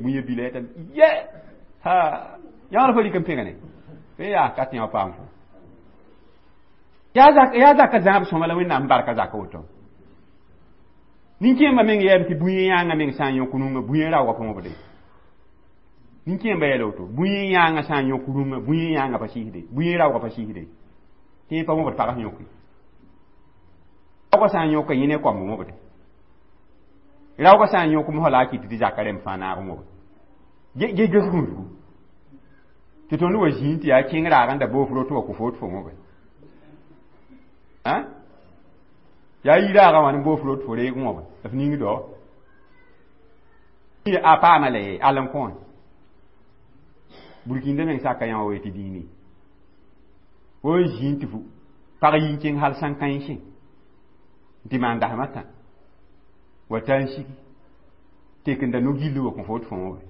bũyã bila yetame ye ha yãor fo rɩk n pẽgne fo yaa ka tẽ wã paam fo yaa zaka zãab sõma la Wẽnnaam barka zaka woto nin-kẽembã meng yɛɛm tɩ bũyẽ yãangã meng sã n yõk rũngã bũyẽ raoogã pa wõbde nin-kẽembã yɛla woto bũyẽ yãangã sã n yõk rũngã bũyẽ yãangã pa sɩsde bũyẽ raoogã pa sɩsde tẽ pa wõbd pag sẽn yõke raoogã sã n yõka yẽ ne koamb wõbde raoogã sã n yõk mosã la a kɩt tɩ zaka rẽmb fãa naag n wõbe ge ges gũudgu tɩ tõnd wa zĩig tɩ yaa kẽng raag n da boos rot wa kʋ fo tɩ fo wõbe yaa yi raagã wã ne boos rot fo reeg wõbe f ning dao a paama la ye all n kõ wã burkĩndã meng saka yã wa tɩ dĩini fo n zĩig tɩ fu pag yi n kẽng hal sãn-kãensẽ tɩ maan dasmã tã wa ta n sigi tek n da no-gill wa kõ fo tɩ fo wõbe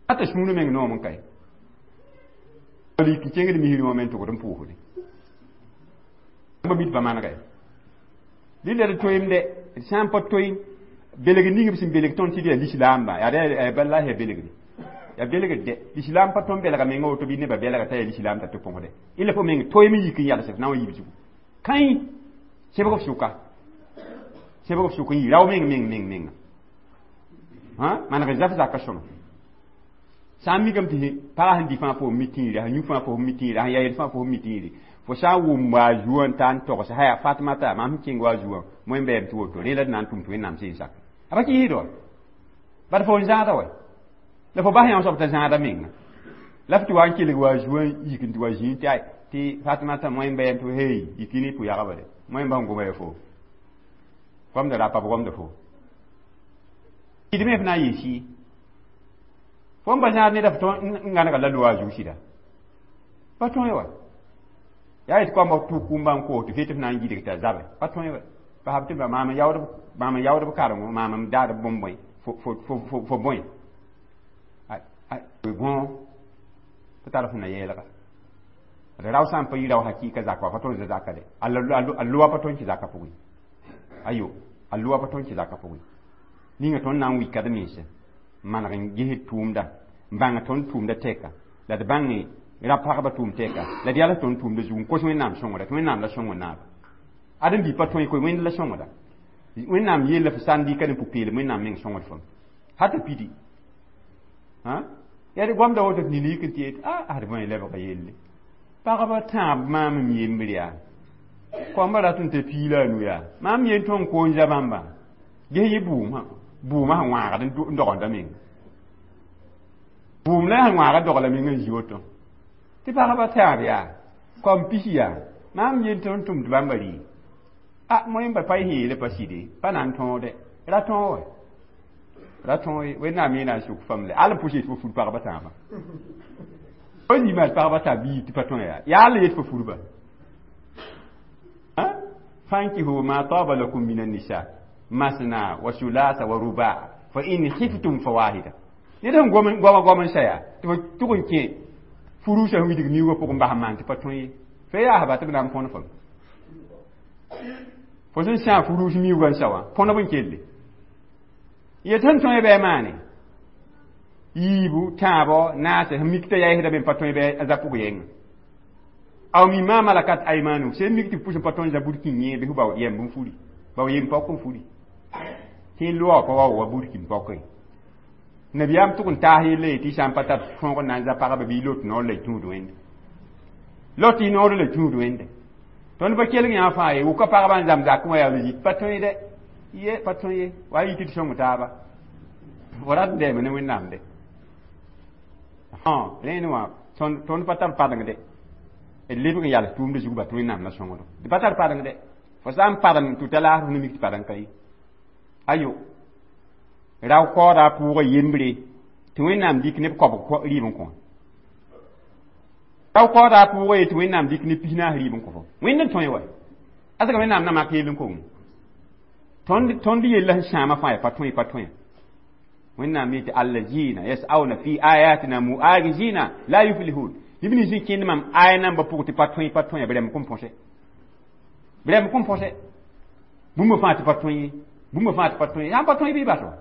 ata sũurã meng noom n kae lik n kẽngd misrẽ wã me n tʋgd n pʋʋsde ba mit pa manega ye rɩla d toeemde d sã n pa toe belg ning b sẽn belg tõnd tɩ d yaa lislaamba yaa bala yaa belgde yaa belgd dɛ lislaam pa tõnd belga menga woto bɩ nebã belga t'a yaa lislaam t'a tɩ põsde ila fo meng toeem n yik n yals f na n wa yiib zugu kãe sẽbg f sʋka sẽbg f sʋk n yi rao meng meng meng menga maneg zaf zaka sõma sã n mikame tɩ pagã sẽn dɩ fãa fo mi tĩire sẽn yũ fãa fo mi tĩire sẽn ya yel fãa fo mi tĩire fo sã n wʋm wa a zuã n ta n togs haya Fatmata mam sẽn kẽng wa a zuã moẽ bɛɛm tɩ woto rẽ la d na n tʋm tɩ Wẽnnaam seen sak a pa kɩɩsd wa bad fo n zãada wa la fo bas yã soab t'a zãada menga la f tɩ wa n kelg wa a zuã n yik n tɩ wa zĩig tɩ ay tɩ Fatmata moẽ bɛɛm tɩ hey yik ne pʋ-yagba de moẽ ba sẽn goma ya fo goamda rapa b goamda fo d me f na n yɩ sɩ fo n pa zãad neda f tõe n gãnega la loa a zug sɩda pa tõe wa yaa yetɩ koambã tʋk kũmbã n koos tɩ fet f na n gidg t'a zabe pa tõe wa basb tɩ maam n yaood b karengo maam n daad b bõmb bõe fo bõe gõ tɩ tar f na yɛɛlga d rao sã n pa yi rao hakɩɩka zaka wa pa tõnd zaka de a loa pa tõnd kẽ zaka pʋgẽ ayo a loa pa tõnd kẽ zaka pʋgẽ ninga tõnd na n wika d mense n maneg n ges tʋʋmda n bãng tõnd tʋʋmda tɛka la d bãng ra pagba tʋʋm tɛka la d yals tõnd tʋʋmda zug n kos Wẽnnaam sõngda tɩ Wẽnnaam la sõng naaba ad n bi pa tõe koe Wẽnd la sõngda Wẽnnaam yella f sã n dɩka ne pʋ-peelem Wẽnnaam meng sõngd fam hata pidi yaa d goamda woto tɩ nina yik n tɩ yet a ad bõe lebga yelle pagba tãab maam m yembr yaa koamba rat n tɩ piila a nu yaa maam yen tõnd koon za bãmba ges yɩ bʋʋmã bʋʋmã sẽn wãagd n dogenda menga bʋʋm la sẽn wãagd dogla meng n zi woto tɩ pagba tãab yaa koam pis yaa maam yen tõnd tʋmd bãmba rɩ a moẽmba pa y sẽn yeele pa sɩde pa na n tõode ra tõog wa ra tõog ye Wẽnnaam yeena n sʋk fam le al n pʋs yet fo fur pagba tãabã fo zĩma tɩ pagba tãab bɩ tɩ pa tõe yaa yaa la yet fo furba fankihu ma taba lakum min an-nisa masna wa sulasa wa ruba fa in khiftum fawahida ned sẽn goama goam n saya tɩ fo tʋg n kẽ furusã sẽn widg miuugã pʋgẽ bas n maan tɩ pa tõe ye fo yaa ba tɩ b na n põn fam fo sẽn sã furus miuugã n sa wã põnb n kelle yet sẽn tõe bɩ a maane yiibu tãabo naase sẽn mik t'a yaɩsda me pa tõe bɩ a za pʋg yɛnga aw mimma malakat aymanu sẽn mik tɩ pʋs n pa tõnd za burkin yẽ bɩ f bao yɛmb n furi bao yem pɔk n furi tɩ loa pa wa wa burkin pɔke nabiyaam tʋg n taas yelle ye tɩ sã n pa tar tõog n na n za pagba bɩ lot noor la y tũud wẽnde lot y noor la tũud wẽnde tõnd pa kelg yã fãa ye wʋka pagba n zãm zakẽ wã yaa zit pa tõe dɛ ye pa tõe ye wa yɩ tɩ d sõng taaba fo rat n dɛɛme ne Wẽnnaam de rẽnd wã tõnd pa tar padengde d lebg n yals tʋʋmda zug ba tɩ Wẽnnaam la sõngdo d pa tar padeng de fo sã n padem tɩ ta laasr ne mik tɩ padeng ka ye ayo rao kaooda pʋʋgã yembre tɩ Wẽnnaam dɩk neb koabg rɩɩb n kõ rao kaooda pʋʋgã ye tɩ Wẽnnaam dɩk ne 40 rɩɩb n kõ fo Wẽnd n tõe wa asga Wẽnnaam na mak yell n kong tõnd yella sẽn sãama fãa ya pa tõe pa tõe Wẽnnaam yetɩ allazina yas'auna fi ayatina mu'ajizina la yuflihun neb nins n kẽnd mam aya nambã pʋg tɩ pa tõe pa tõe b rɛm kõn põse b rɛm kõn põse bũmb fãa tɩ pa tõe ye bũmb fãa tɩ pa tõe sã n pa tõe bɩ bas wa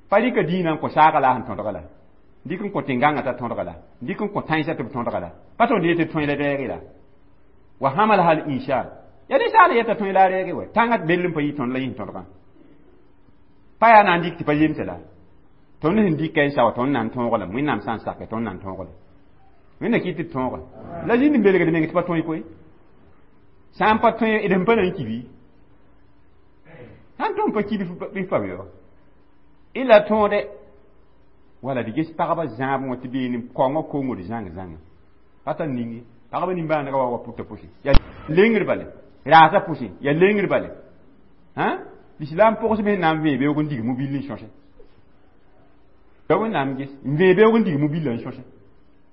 Pa rɩka dĩinã n kõ saaga la a sẽn tõdga la dɩk n kõ tẽn-gãngã t'a tõdga la dɩk n kõ tãensã tɩ b tõdga la pa tõnd yetɩ tõe la reege la wa hamalaha al insan ya ninsaal yeta tõe la a reege wa tãngã bell n pa yɩ tõnd la yẽ tõdgã pa yaa na n dɩk tɩ pa zemse la tõnd sẽn dɩka n sa wa tõnd na n tõog lame Wẽnnaam sã n sake tõnd na n tõog la Wẽnna kɩt tɩ d tõoga la zĩnd n belgd meng tɩ pa tõe koe sã n pa tõe d sẽn pa na n kibi sã n tõnd pa kib bɩ pa be ila tõode wala d ges pagba zãab wã tɩ beene kaoongã kongd zãng zãnga pa tar ning pagba nimbãanega wa wa pʋta pʋsẽ yaa lengr bale raasã pʋsẽ yaa lengr bale lislaam pʋgs me na n vẽe beoog n dig mobil n sõse la Wẽnnaam ges n vẽe beoog n dig mobil n sõse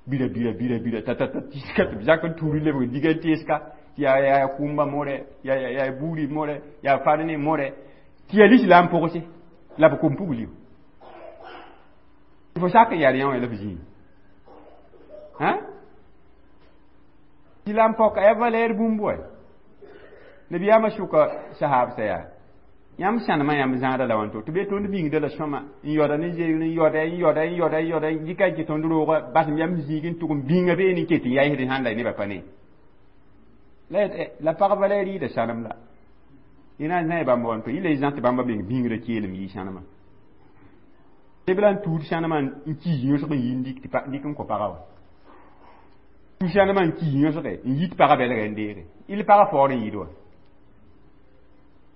bira bira bira bira ta ta ta tiska tɩ b zak n tuur lebg diga n teeska tɩ yaa yaa kʋʋmba more yaa yaa buuri more yaa farne more tɩ yaa lislaam pʋgse la b kom pugl fo sak n yaa yã la f zĩig lislaam pɔka ya valɛɛr bũmb wa nabiyaamã sʋka sahaabsã yaa yãmb sãnemã yãmb zãada la wãnto tɩ be tõnd bĩngda la sõma n yaoda ne zeegr n yaoda n yaoda n yaoda n yaoda n dɩka n kɩ tõnd rooga basem yam zĩig n tʋg n bĩnga beene n ket n yaɩsd sãn la nebã pa ne la pag valɛɛr yɩɩda sãnem la y na n zã bãmb wãnto yɩ la y zã tɩ bãmba meng bĩngrã keelem yɩ sãnemã tɩ b la n tuud sãnemã n kiis yõsg n yi n dɩk tɩ dɩk n kõ pagã wa tuud sãnemã n kiis yõsge n yit pagã bɛlga n deege il pagã faoor n yɩɩd wa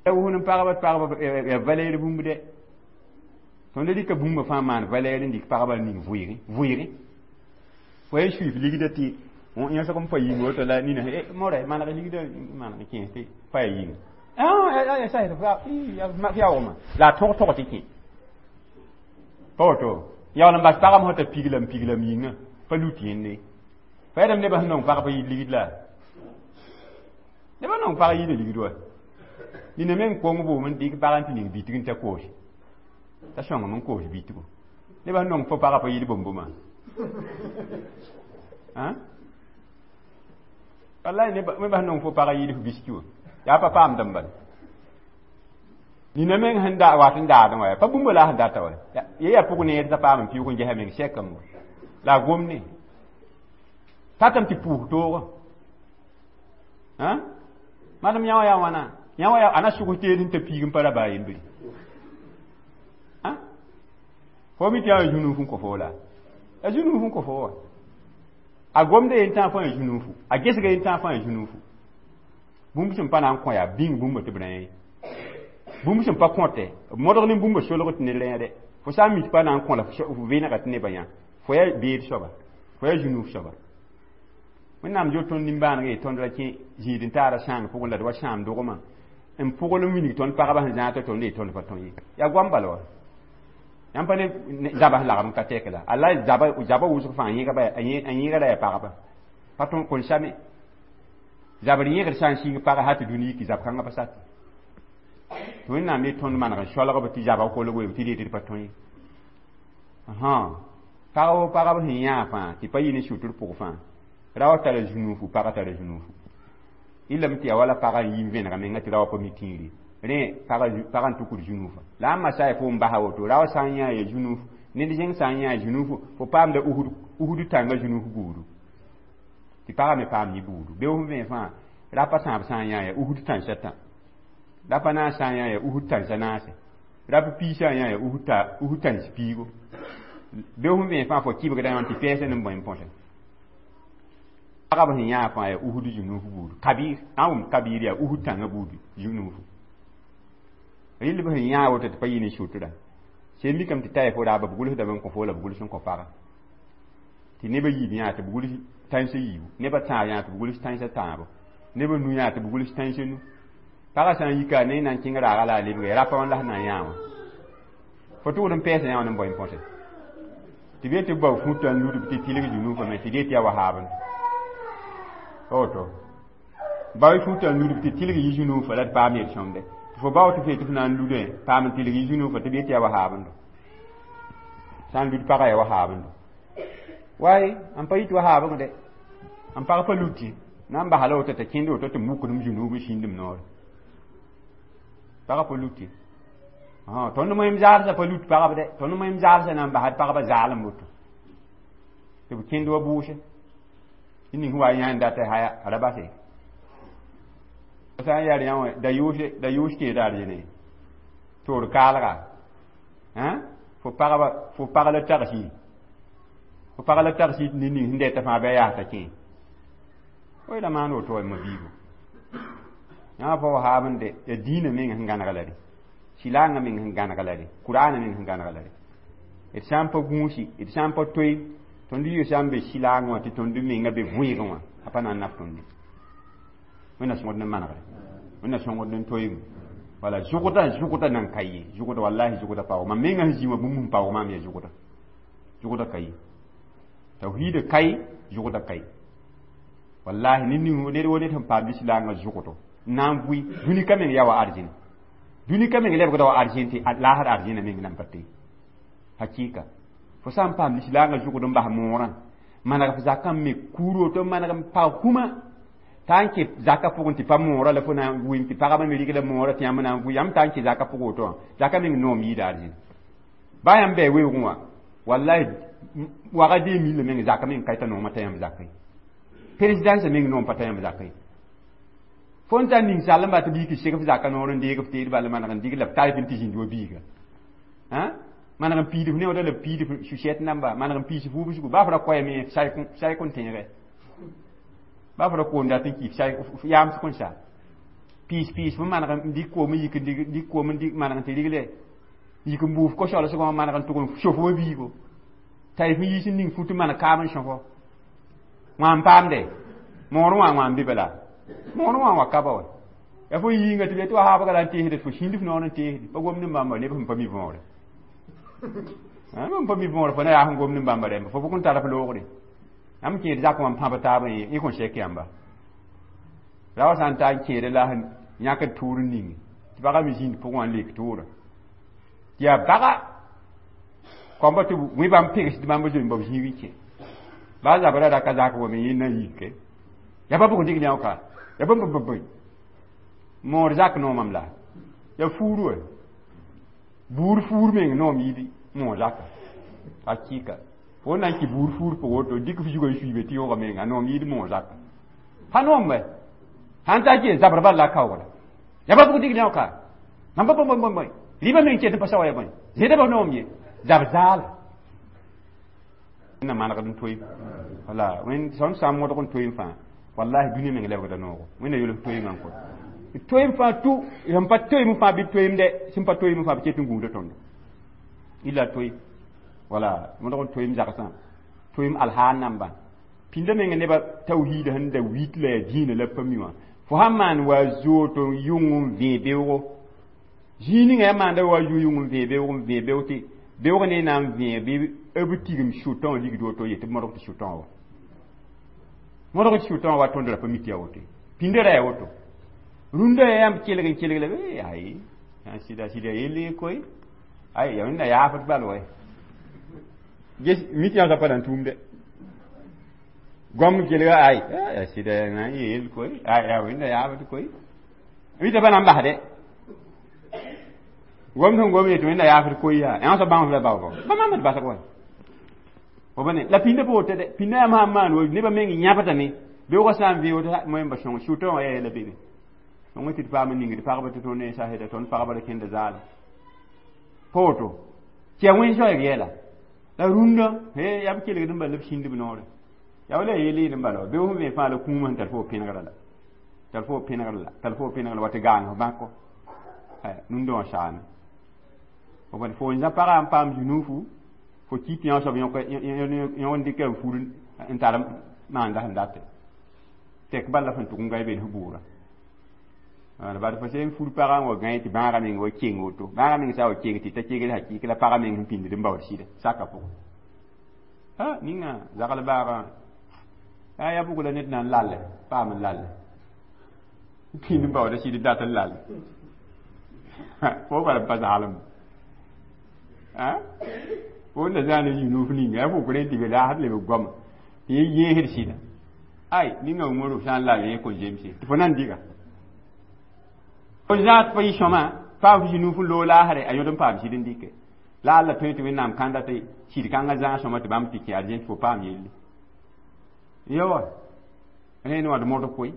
wʋsd n pagba tɩ pagba ya valɛɛr bũmb dɛ tõnd rɩka bũmba fãa maan valɛɛr n dɩk pagba n ning vʋɩɩgẽ vʋɩɩgẽ fo ya suif ligda tɩ yõsg n pa yĩng woto la nina morɛ maneg ligda maneg kẽes tɩ pa ya yĩnga yaoogma la a tõg tog tɩ kẽ pa woto yaool n bas pagame sã t'a piglam piglam yĩnga pa lut yẽnde fa yɛdame nebã sẽn nong pag pa yid ligd la nebã nong pag yɩɩda ligd wa nina meng kong boom n dɩk pag n tɩ ning bitg n ta koos t'a sõngem n koos bitgo nebã sẽn nong fo pagã pa yɩɩd bõm-bõma wallahi nebã sẽn nong fo pagã yɩɩd f biski wã yaa pa paamd n bala nina meng sẽn da wat n daadẽ wa pa bũmba la a sẽn data wa ye yaa pʋg neer t'a paam n piʋʋg n ges a meng sɛkame wa la a gomne tatame tɩ pʋʋs toogã madem yã wã yaa wãna yã wã yaa ana sʋgs teed n ta piig n pa ra baa yembre fo mi tɩ yaa zũnuuf n kõ fo la a zũnuuf n kõ fo wa a gomda yen tãag fãa zũnuufu a gesga yen tãag fãa zũnuufu bũmb sẽn pa na n kõ yaa bĩng bũmba tɩ b rẽ ye bũmb sẽn pa kõte b modg ne bũmba solg tɩ ned rẽede fo sã n mi tɩ pa na n kõ la f vẽnega tɩ nebã yã fo yaa beed soaba fo yaa zũnuuf soaba Wẽnnaam zo tõnd nimbãaneg ye tõnd ra kẽ zĩig n taara sãang pʋgẽ la d wa sãam dogmã n pʋgl n wilg tõnd pagba sẽn zãag tɩ tõnd ye tõnd pa tõe ye yaa goam bala wa yãmb pa ne zaba sẽn lagm n ka tɛk la alla zaba zaba wʋsg fãa a yẽega ra yaa pagba pa tõn kõn same zabr yẽgd sã n sĩng pagã hal tɩ dũni yiki zab kãngã pa sat tɩ Wẽnnaam ye tõnd maneg n soalgb tɩ zaba kolg weem tɩ d yetɩ d pa tõe ye pagb pagb sẽn yãa fãa tɩ pa yɩ ne sʋtr pʋg fãa raoã tara zũnuufu pagã tara zũnuufu yɩlame tɩ yaa wala pagã n yi n vẽnega menga tɩ raoã pa mi tĩiri rẽ pagã n tukud zũnuufa la a n masa fo n basa woto raoã sã n yãa ya zũnuuf ned zẽng sã n yãa zũnuufu fo paamda usd tãngã zũnuuf buudu tɩ pagã me paam yɩ buudu beoog sẽn vẽ fãa rapa sãab sã n yãa ya usd tãnsã tã rapa naas sã n yãa ya usd tãnsã naase rap pii sã n yãa ya usd tãns piigo beoog sẽn vẽ fãa fo kɩbgda yã tɩ pɛɛsã nem bõe n põse pagb sẽn yãa fãa yaa usd zũnuuf buudu kabiir sã n wʋm kabiir yaa usd tãngã buudu zũnuufu rɩl b sẽn yãa woto tɩ pa yɩ ne sʋtra sẽn mikame tɩ ta fo raaba b gʋlsdame n kõ fo la b gʋls n kõ pagã tɩ nebã yiib yãa tɩ b gʋls tãnsã yiibu nebã tãag yãa tɩ b gʋls tãnsã tãabo nebã nu yãa tɩ b gʋls tãnsã nu pagã sã n yika ne na n kẽng raaga la a lebge rapa wã la sẽn na n yãa wã fo tʋgd n pɛɛsã yã wã ne n bao n põse tɩ be tɩ b bao fũtã n ludb tɩ tɩlg zũnuufã me tɩ dee tɩ yaa wahaabend woto bao fũtã n ludb tɩ tɩlg yɩ zũnuufã la d paam yel-sõmde tɩ fo bao tɩ fe tɩ f na n ludẽ paam n tɩlg yɩ zũnuufã tɩ be tɩ yaa wahaabendo sã n lud pagã yaa wahaabendo waay n pa yit wahaabeng dɛ n pag pa luti na n basa la woto t'a kẽnd woto tɩ mukdem zũnuub n sĩndem noore pagã pa luti Tõnd moem zaalsã pa lut pagb dɛ, tõnd moem zaalsã na n basd pagba zaalem woto tɩ b kẽnd wa bʋʋse ning wa yãnd dat haya a ra base sã n yaa yã wã da yʋʋs da yʋʋs kẽeda arzẽne toor kaalga fo pagba fo pag la tagsi fo pag la tagsi tɩ ned ning sẽn dɛta fãa bɩ a yaasda kẽ fo la maan woto wa ma biigo yã pa wa haab n de ya dĩinã meng sẽn gãneg la re silangã meng sẽn gãneg la re kuraanã meng sẽn gãneg la re d sã n pa gũusi d sã n pa toe tõnd yɩ sã n be silangã wã tɩ tõnd menga be võegẽ wã a pa na n naf tõnd wẽnna sõgd ne manegre wẽnna sõngd n toeem wala zʋgda zʋgda nan ka ye zʋgda wallahi zʋgda paoog mam menga sẽn zĩ wã bũmb sẽn paoog maam yaa zʋgda zʋgda ka ye tawhiida kai zʋgda kai wallahi ned ning ned wo ned sẽn paam lislaangã zʋgdo n na n vʋɩ dũni ka meng yaa wa arzẽn dũni ka meng lebgda wa arzẽn tɩ laasd arzẽna meng nan pa te hakika fo sã n paam lislaangã zʋgd n bas moorã maneg f zakã me kuur woto maneg n pag kũma t'a n kẽ zaka pʋgẽ tɩ pa moorã la fo na n wɩm tɩ pagba me rɩgla moorã tɩ yãmb na n vʋ yãmb t'a n kẽ zaka pʋgẽ woto wã zaka meng noom yɩɩda arzẽn baa yãmb bɩ weoogẽ wã wallahi waga dee milla meng zaka meng ka t'a noomã t'a yãmb zakã ye présidence meng noom pa t'a yãmb zakã ye fo n tar ninsaalembã tɩ biig tɩ seg f zaka noor n deeg f teed bala maneg n dig la b tar tɩ zĩnd wa biiga maneg n piid f neooda la b piid f suset namba maneg n piis f wubsgu baa f ra koɛɛme say kõn tẽege baa f ra koom dat n kɩ f yaams kõn sa piis piis f maneg n dɩk koom n yik n dɩk koom n maneg n tɩ rigle yik n buuf ko-solsgã wã maneg n tʋg n sof wa biigo t'a f yiis n ning fut n maneg kaam n sõfo wã n paamde moor wã wã n be bala moor wã wa ka ba wa ya fo yĩnga tɩ be tɩ wa haabga la n teesde fo sĩnd f noor n teesde pa gomd n bãmba neb sẽn pa mi võore n pa mi võore fo na yaa sẽn gomd n bãmba rẽmba fo bʋk n tar f loogre yãmb kẽed zak wã n pãb taab n y kõn sɛk yãmba ra wa sã n ta n kẽede la sẽn yãkd tʋʋr n ning tɩ baga me zĩnd pʋgẽ wã n lek tʋʋra tɩ yaa baga kõmba tɩ wẽ bãmb pegsd bãmb zoe n bao zĩig n kẽ baa zabra ra ka zak wa me yẽ na n yike yaa pa bʋg dig yã ka yaa bãmb bãmb moor zak noomam la yaa fuur wa buur fuur meng noom yɩɩd moor zaka hakika fo na n kɩ buur fuur pʋg woto dɩk f zugã n suiibe tɩ yooga menga noom yɩɩd moor zaka pa noom wɛ sãn ta kɩ zabr bal la kaoogra yaa pa bʋg dig yã ka mam pa bõe bõe bõe rɩbã meng ket n pa sao ya bõe zẽdã ba noom ye zab zaala na manegd n toeem wala wẽnd sõn sã n modg n toeem fãa wallahi dũniyã meng lebgda noogo wẽnna yʋls toeemã n kõ toeem fãa tu sẽn pa toeem fãa bɩ toeem dɛ sẽn pa toeem fãa b ket n gũuda tõndo illa toeem wala modg n toeem zagsã toeem alhaal namba pĩnda meng nebã tawhiida sẽn da wit la yaa dĩinã la pa mi wã fo sãn maan wa zoot n yʋng n vẽe beoogo zĩig ninga yaa maanda wa zu yʋng n vẽe beoog n vẽe beoog tɩ beoog ne na n vẽe bɩ b tigim sʋtã wã ligd woto yetɩ b modg tɩ sʋtã wa modg tɩ sʋtã wa tõnd ra pa mi tɩ yaa woto pĩnda ra yaa woto rũndã yaa yãmb kelg n kelg la ay sɩda sɩda yelle koy ay ya wẽnna yaafd bal wa ges mi tɩ yã pa na n tʋʋmdɛ goam kelga ay ya sɩda na n yeel koy ay ya wẽnna yaafd koy mi tɩ pa na n basdɛ gom sẽn gom yetɩ wẽnna yaafd koy yaa yã soab bãmb la baoogɔ pa maam d basg wa fo bane la pĩndã pa woto dɛ pĩndã yãmb sãn maan wa nebã meng yãbdame beoogã sã n vẽ woto moẽmba sõng sʋtã wã yaa la bebe sõng tɩ d paam n ningd pagba tɩ tõnd ne saseda tõnd pagba ra kẽnda zaala pa woto tɩ yaa wẽn zoɛɛg yɛla la rũndã he yaa b kelgd n bal la b sĩnd b noore yaa wala yeel yeel n bala wa beoog sẽn vẽ fãa la kũumã sẽn tar fo pẽnegrã la tar fo pẽnegrã la tar fo pẽnegrã wa tɩ gaang f bãko nundã wã saame fo bane fo n zã pagã n paam zũnuufu fo ki tɩ yã soab yõk n dɩka n fur n tar maanda sẽn date tɛk bal la sẽn tʋg n ga y bel f bʋʋra bad fo sẽn fur pagã n wa gãe tɩ bãagã meng wa keng woto bãagã meng sã wa keng tɩ ta kegd hakɩɩk la pagã meng sẽn pĩnd n baood sɩda saka pʋgẽ a ninga zagl baagã a yaa bʋg la ned na n lalle paam n lalle pĩnd n baooda sɩd dat n lalle fo bala pa zaalem fo na zã ne yũnuuf ninga yaa fo rẽ tɩ be laasd leb goama tɩ yẽ yẽesd sɩda ay ninga wʋngr sã n lal yẽ kõn zemse tɩ fo na n diga fo zãad pa yɩ sõma Paam fo zĩ-nuuf n loog laasre, a yõd n paam sɩd n dɩke. La alla tõe tɩ Wẽnnaam kãnda tɩ sɩd kãngã zãas sõma tɩ bãmb tɩ kẽ arzẽn tɩ fo paam yelle. Ya wa rẽnd wã d modg koe,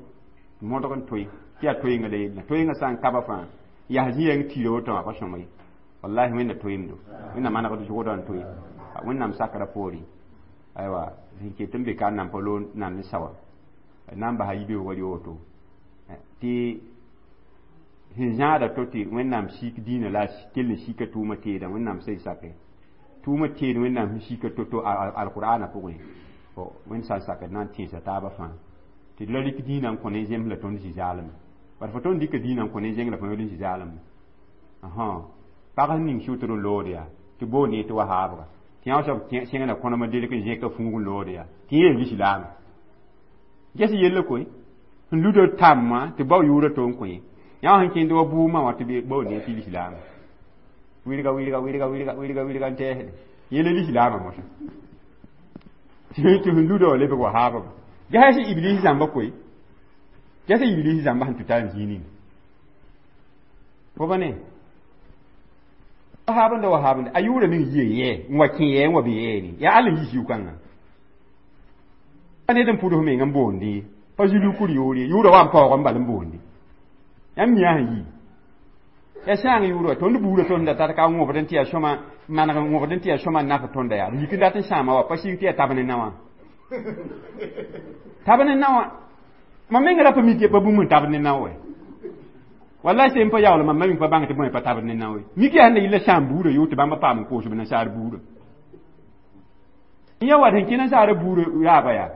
modg n toe tɩ yaa toeenga la yella. Toeenga sã n kaba fãa yaa zĩ-yɛng tɩɩra woto wã pa sõma ye. Wallahi Wẽnna toeemdo. Wẽnna manegd zʋgdã n toe. Wẽnnaam sakra poore. Aywa sẽn ket n be ka n nan pa loog nan ne sawa. Na n basa yibeoogã rɩ woto tɩ sẽn zãada to tɩ Wẽnnaam sik dĩinã la a kell n sika tʋʋmã teedã Wẽnnaam sẽn sake tʋʋmã teed Wẽnnaam sẽn sika to-to alqur'ana pʋgẽ. Wẽnd sã n sakd na n tẽesa taabã fãa tɩ d ra rɩk dĩinã n kõ ne zems la tõnd zĩ zaalem. Bara fo tõnd dɩka dĩinã n kõ ne zeng la fo yõd n zĩ zaalem. Pag sẽn ning sʋtr n lood yaa tɩ boond yẽ tɩ wahaabga tɩ yã soab sẽngda kõnema delk n zẽka fuug n lood yaa tɩ yẽ lislaam. Ges yella koe sẽn luda tãmbã tɩ bao yʋʋra to n kõ yẽ. Yã sẽn kẽnd wa buumã wã tɩ baoond yẽ tɩ lislaam. Wilga wilga wilga wilga wilga wilga n tɛɛsde yẽ la lislaamã mosã. Tɩ sẽn luda wã lebg wahaabga. Ges iblis zãmba koe. Ges iblis zãmba sẽn tʋ ta n zĩig ning. Fo ba ne wahaabẽnda wahaabẽnda a yʋʋra meng yie yɛ n wa kẽ yɛ n wa be yɛɛne yaa all n yi siʋ-kãngã. Pa ned n pʋds meng n boondi pa zĩ-lukur yoor ye yʋʋra wa n paoog n bal n boondi. Yãmb mi sẽn yi ya sãang yʋʋr wa tõnd buurã tõnd da tar ka wõbd n tɩ yaa sõma maneg n wõbd n tɩ yaa sõma n naf tõnda yaa yik n dat n sãama wa pa sig tɩ yaa tab ne naowã. Tab ne naowã mam meng ra pa mi tɩ pa bũmb n tab ne nao wɛ. Wallahi sẽn pa yaool mam ma pa bãng tɩ bõe pa tabd ne nao ye. Mik yaa sẽn da yɩla sãam buurã yoor tɩ bãmba paam n koos b nasaar buurã. Yã wa sẽn kẽ nasaarã buurã raaba yaa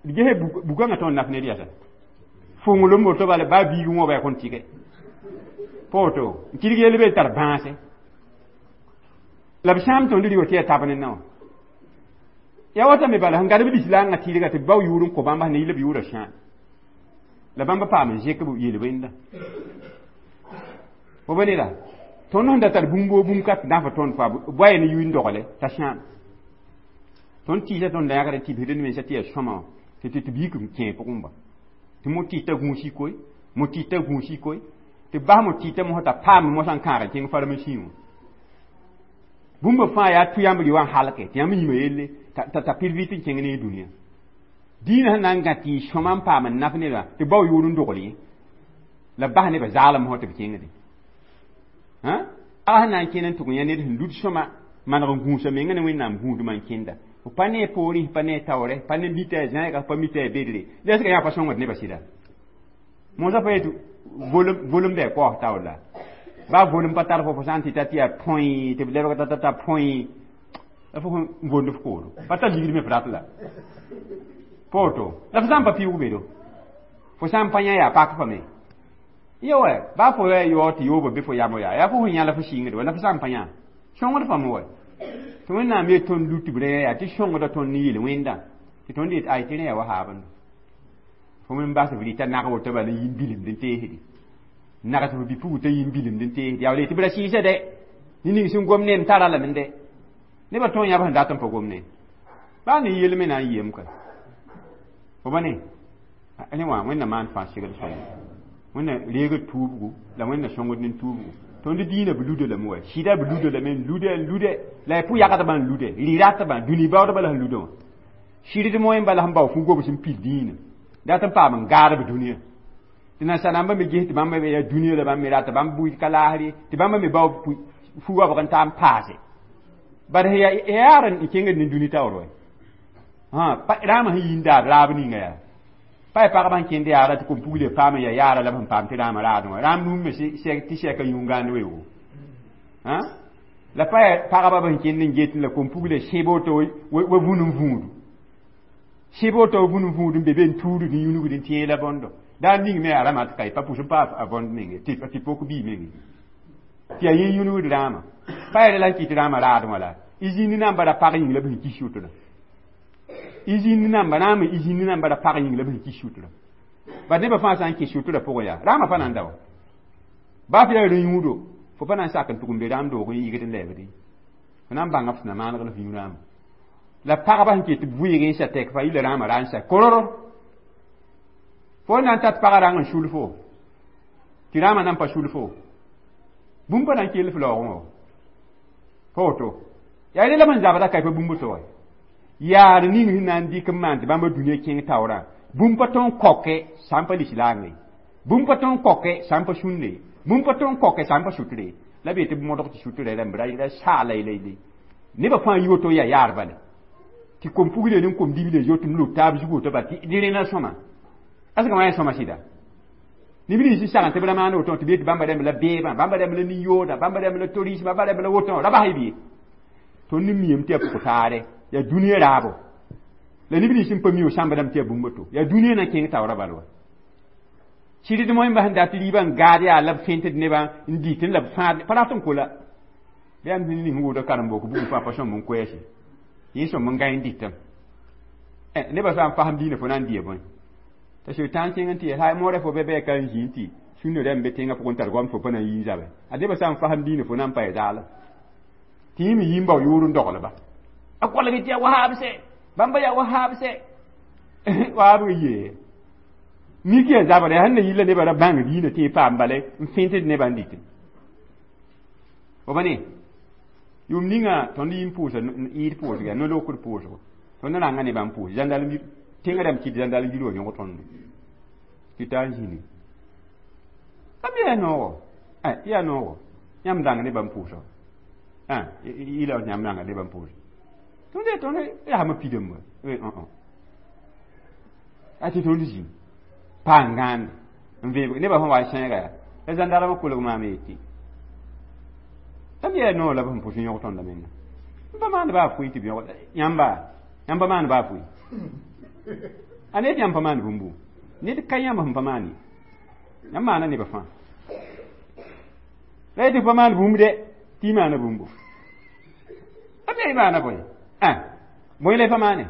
d gese bukãngã tõnd naf ned yasa. Fʋnglem woto bala baa biig wãba yaa kõn tɩge. Pa woto n kɩdg yell be tar bãase. La b sãam tõnd rɩ wa tɩ yaa tab ne naowã. Ya wata me bala sẽn gad b lislaangã tɩɩdga tɩ bao yʋʋr n kõ bãmba sẽn yɩl b yʋʋrã sãam. La bãmba paam n zẽk b yel wẽnda. Fo ba ne la tõnd sẽn da tar bũmb woo bũmb ka tɩ dãfa tõnd faa boaya ne yʋɩ n dogle t'a sãam. Tõnd tɩɩsa tõnd da yãgd n tɩbsd d mensã tɩ yaa sõma wã tɩ tɩ biik n kẽ pʋgẽ ba. Tɩ mo tɩɩta gũusi koe, mo tɩɩta gũusi koe, tɩ bas mo tɩɩta mosã t'a paam mosã n kãag n kẽng farmasi wã. Bũmba fãa yaa tʋ yãmb rɩ wã n halke tɩ yãmb yĩma yelle t'a pɩr vɩt n kẽng ne dũniyã. Dĩinã sẽn na n gã tɩ y sõma n paam n naf nebã tɩ bao yʋʋr n dogl yẽ. La bas nebã zaalem fõ tɩ b kẽngde. A sẽn na n kẽnd n tʋg yã ned sẽn lud sõma maneg n gũusa menga ne Wẽnnaam gũudmã n kẽnda. Fo pa ne poorẽ, pa ne taoorɛ, pa ne mita a zãega, pa mita a bedre. La sɩka yã pa sõngd nebã sɩda. Mosã pa yetɩ volem bɩ a kaoos taoor la. Baa volem pa tar fo sã n tɩ ta tɩ yaa põe tɩ b lebg ta ta põe la fo n vond f kooro. Pa tar ligd me f rat la. Pa woto la fo sã n pa pɩʋʋg bedo. Fo sã n pa yã yaa pak fa me. Ya wa baa fo ya yaoog tɩ yoobã be fo yam yaa yaa fo sẽn yã la fo sɩngd wa la fo sã n pa yã. Sõngd fãmb wa. Tɩ Wẽnnaam yet tõnd lut tɩ b rẽ yaa tɩ sõngda tõnd ne yel-wẽndã tɩ tõnd yet ay tɩ rẽ yaa wahaabẽndo. Fo me n bas b rɩta nag woto bala n yi n bilemd n teesde. Nags f bi-pugl t'a yi n bilemd n teesde. Yaa wala tɩ b ra sɩɩsa dɛ. Ne ning sẽn gom ne m tara lame dɛ. Nebã tõog yãb sẽn dat n pa gom ne. Baa ne yel me na n yem ka. Fo ba ne? Rẽ wã Wẽnnaam maan fãa segl soayã. Wẽnna reegd tuubgu la Wẽnna sõngd ne tuubgu. Tõnd dĩinã b luda lame wa. Sɩda b luda lame n lude n lude la y pʋ-yagdbã n lude rɩ-ratbã dũni baoodbã la sẽn luda wã. Sɩrd moẽ bala sẽn bao fu-gobs n pil dĩinã. Dat n paam n gaad b dũniyã. Tɩ nansar-rãmbã me ges tɩ bãmb me yaa dũniyã la bãmb me rata bãmb bʋɩ ka laasr ye tɩ bãmba me bao fu-goabg n ta n paase. Bad sẽn yaa n kẽngd ne dũni taoor wɛ. Rãamã sẽn yi n daad raab ninga yaa. Pa ya pagba sẽn kẽnd yaara tɩ kom-pugl paam n yaa yaara la b sẽn paam tɩ rãamã raadẽ wã. Rãam num me tɩ sɛka yũn-gãand weoogo. La pa ya pagba b sẽn kẽnd n get la kom-pugl sẽb woto wa vũn n vũudu. Sẽb woto wa vũn n vũud n be be n tuudg n yũnugd n tẽeg la bõndo. Daar ning me yaa rãmã tɩ ka pa pʋs n pa a võnd menge tɩ pok bii menge. Tɩ yaa yẽ yũnugd rãamã. Pa ya la n kɩt rãamã raadẽ wã la. Y zĩnd namba ra pag yĩng la b sẽn kis sʋtrã. Y zĩnd namba rãamã y zĩnd namba ra pag yĩng la b sẽn kis sʋtrã. Bad nebã fãa sã n kẽ sʋtrã pʋgẽ yaa rãamã pa na n da wa. Baa fo yaa rã-yũudo fo pa na n sak n tʋg n be rãam doog n yɩgd n lɛɛbd fo na n bãnga f sẽn na maaneg la f yũ rãamã. La pagba sẽn ket b vɩɩg n sa tɛk fa yilla rãamã ra n sa kororo. Fo na n tat pagã rãng n sul fo tɩ rãamã na n pa sul fo. Bũmb pa na n kell f laoogẽ wã. Pa woto. Yaa rẽ la b sẽn zabda ka pa bũmb to wa. Yaar ning sẽn na n dɩk n maan tɩ bãmba dũniyã kẽng taoorã. Bũmb pa tõe n kaoke sã n pa lislaang ye. Bũmb pa tõe n kaoke sã n pa sũnde ye. Bũmb pa tõe n kaoke sã n pa sʋtre ye. La b yetɩ b modg tɩ sʋtrã rãmb ra saala la nebã fãa yi woto yaa yaar bala. Tɩ kom pugle ne kom dible zoet n lub taab zug woto bala tɩ rẽna sõma. Asgã wã yaa sõma sɩda. Neb nins sẽn sagn tɩ b ra maan woto tɩ b yetɩ bãmba rãmb la beebã, bãmba rãmb la nin-yooda, bãmba rãmb la torisma, bãmba rãmb la woto ra bas y bɩ. Tõnd ne miame tɩ yaa pʋg-taare, yaa dũniyã raabo. La neb nins sẽn pa mi sãmb rãmb tɩ yaa bũmb to. Yaa dũniyã na kẽng taoorã bal wa. Sɩd moẽmba sẽn dat rɩɩbã n gaad yaa la b fẽntd nebã n dɩtẽ la b fãad pa rat n kola. Bɩ yaa ning sẽn wʋʋda karen-bok bugum fãa pa sõmb n koɛɛse. Yẽ sõmb n gãe n dɩtame. Nebã sã n fasem diinã fo na n dɩa bõe. T'a sʋɩtãan kẽng n tɩ yaa moorã fo bɩ bɩ ka n zĩ n tɩ sũnã rãmb be tẽngã pʋgẽ tar goam fo pa na n yi n zabe. A nebã sã n fasem diinã fo na n pa ya zaalem. Tɩ yẽ me yi n bao yʋʋr n doglba. A kolg tɩ yaa wahaab sɛ. Bãmba yaa wahaab sɛ. Wahaab yee. Mik yaa zabra yaa sẽn na yilla nebã ra bãng diinã tɩ y paam bala n fẽntd nebã n dɩtẽ. Fo pa ne? Yʋʋm ninga tõnd yɩ n pʋʋsa yɩɩd pʋʋsg yaa no-lokd pʋʋsgo. Tõnd rãnga nebã n pʋʋs zãndal tẽngã rãmb kɩt zãndal yir wã yõg tõndo. Tɩ taa n zĩni. A me yaa noogo. Yaa noogo. Yãmb dãng nebã n pʋʋsa. Yɩla yãmb rãnga nebã n pʋʋsa. Tõnd yaasmã pidame wa. A tɩ tõnd zĩnd. Pa n gãande n veeb nebã sẽn wa n sẽega yaa. La zãndarmã kolg maam yetɩ. La me yaa noog la b sẽn pʋs n yõg tõndã menga. N pa maand baa fʋɩ tɩ b yõg yãmba yãmb pa maand baa fʋɩ. A ned yãmb pa maand bũmbu. Ned ka yãmb sẽn pa maan ye. Yãmb maana nebã fãa. La yetɩ pa maand bũmb dɛ tɩ y maana bũmbu. A me y maana bõe? Bõe la y pa maane?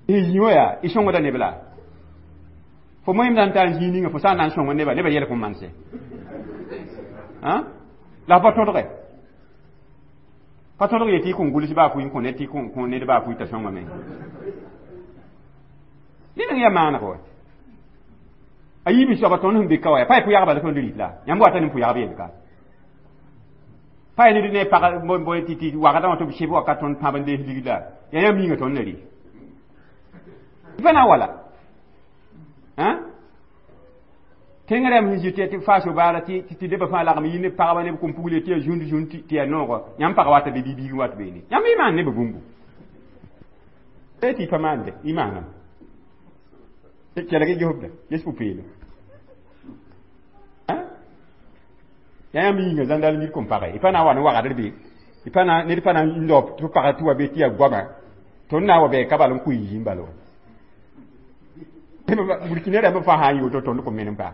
Y zĩ wã yaa y sõngda neb la. Fo moẽm na n taa n zĩig ninga fo sã n na n sõng nebã nebã yɛl kõn manse. La pa tõdge. Pa tõdg yetɩ y kõn gʋls baa fʋɩ n kõ ned tɩ kõ ned baa fʋɩ t'a sõngame. Ned n yaa maaneg wa. A yiib soaba tõnd sẽn be ka wa yaa pa yaa pʋyagba la tõnd rɩt la. Yãmb wata ne pʋyagb yell ka. Pa yaa ned ne pag tɩ wagdã wã tɩ b sɩb wakat tõnd pãb n dees ligd la. Yaa yãmb yĩnga tõnd na rɩ. Pa na wala. Tẽng rãmb sẽn zĩ tɩ faaso baara tɩ nebã fãa lagem yɩ ne pagba ne b kom pugle tɩ yaa zũnd zũnd tɩ yaa noogɔ yãmb pag wata be bi-biig wat beene. Yãmb y maan nebã bũmbu. Tɩ y pa maande, y maaname. Kelg y gesbda, ges pʋ-peelem. Yaa yãmb yĩnga zãndal nid kom pagã ye. Y pa na n wa ne wagdr be. Y pa na ned pa na n daoop tɩ pagã tɩ wa be tɩ yaa goama. Tõnd na n wa bɩ ka bal n kʋ y yĩn bala wa. Burkina rãmb fãa sã n yɩ woto tõnd kõn menem paa.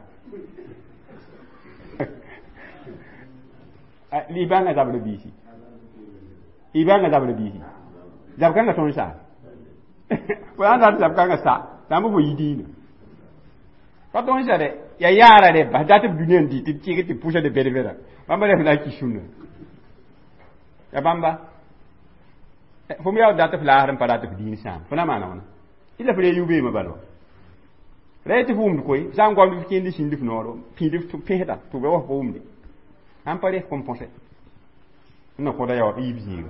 Y bãnga zabr biisi. Y bãnga zabr biisi. Zab-kãngã tõnd saa. Fo sã n dat zab-kãngã sa, sã n bɩ fo yi diinã. Pa tõnd sa dɛ, yaa yaara rɛ bas dat b dũniyã n dɩ tɩ b kɩg tɩ pʋsa de bɛd-bɛda. Bãmba rẽ la ki sũnna. Ya bãmba. Fo me yaa dat f laasr n pa rat f diin sãam. Fo na maana wãna. Ila f re yu-beemã bala wa. Ra tɩ f wʋmd koe, sã n goamd f kẽnd sĩnd f nooro, pĩid f pẽsda tɩ b wa f wʋmde. Sã n pa res kõn põse. Na kõda yao yiib zĩiga.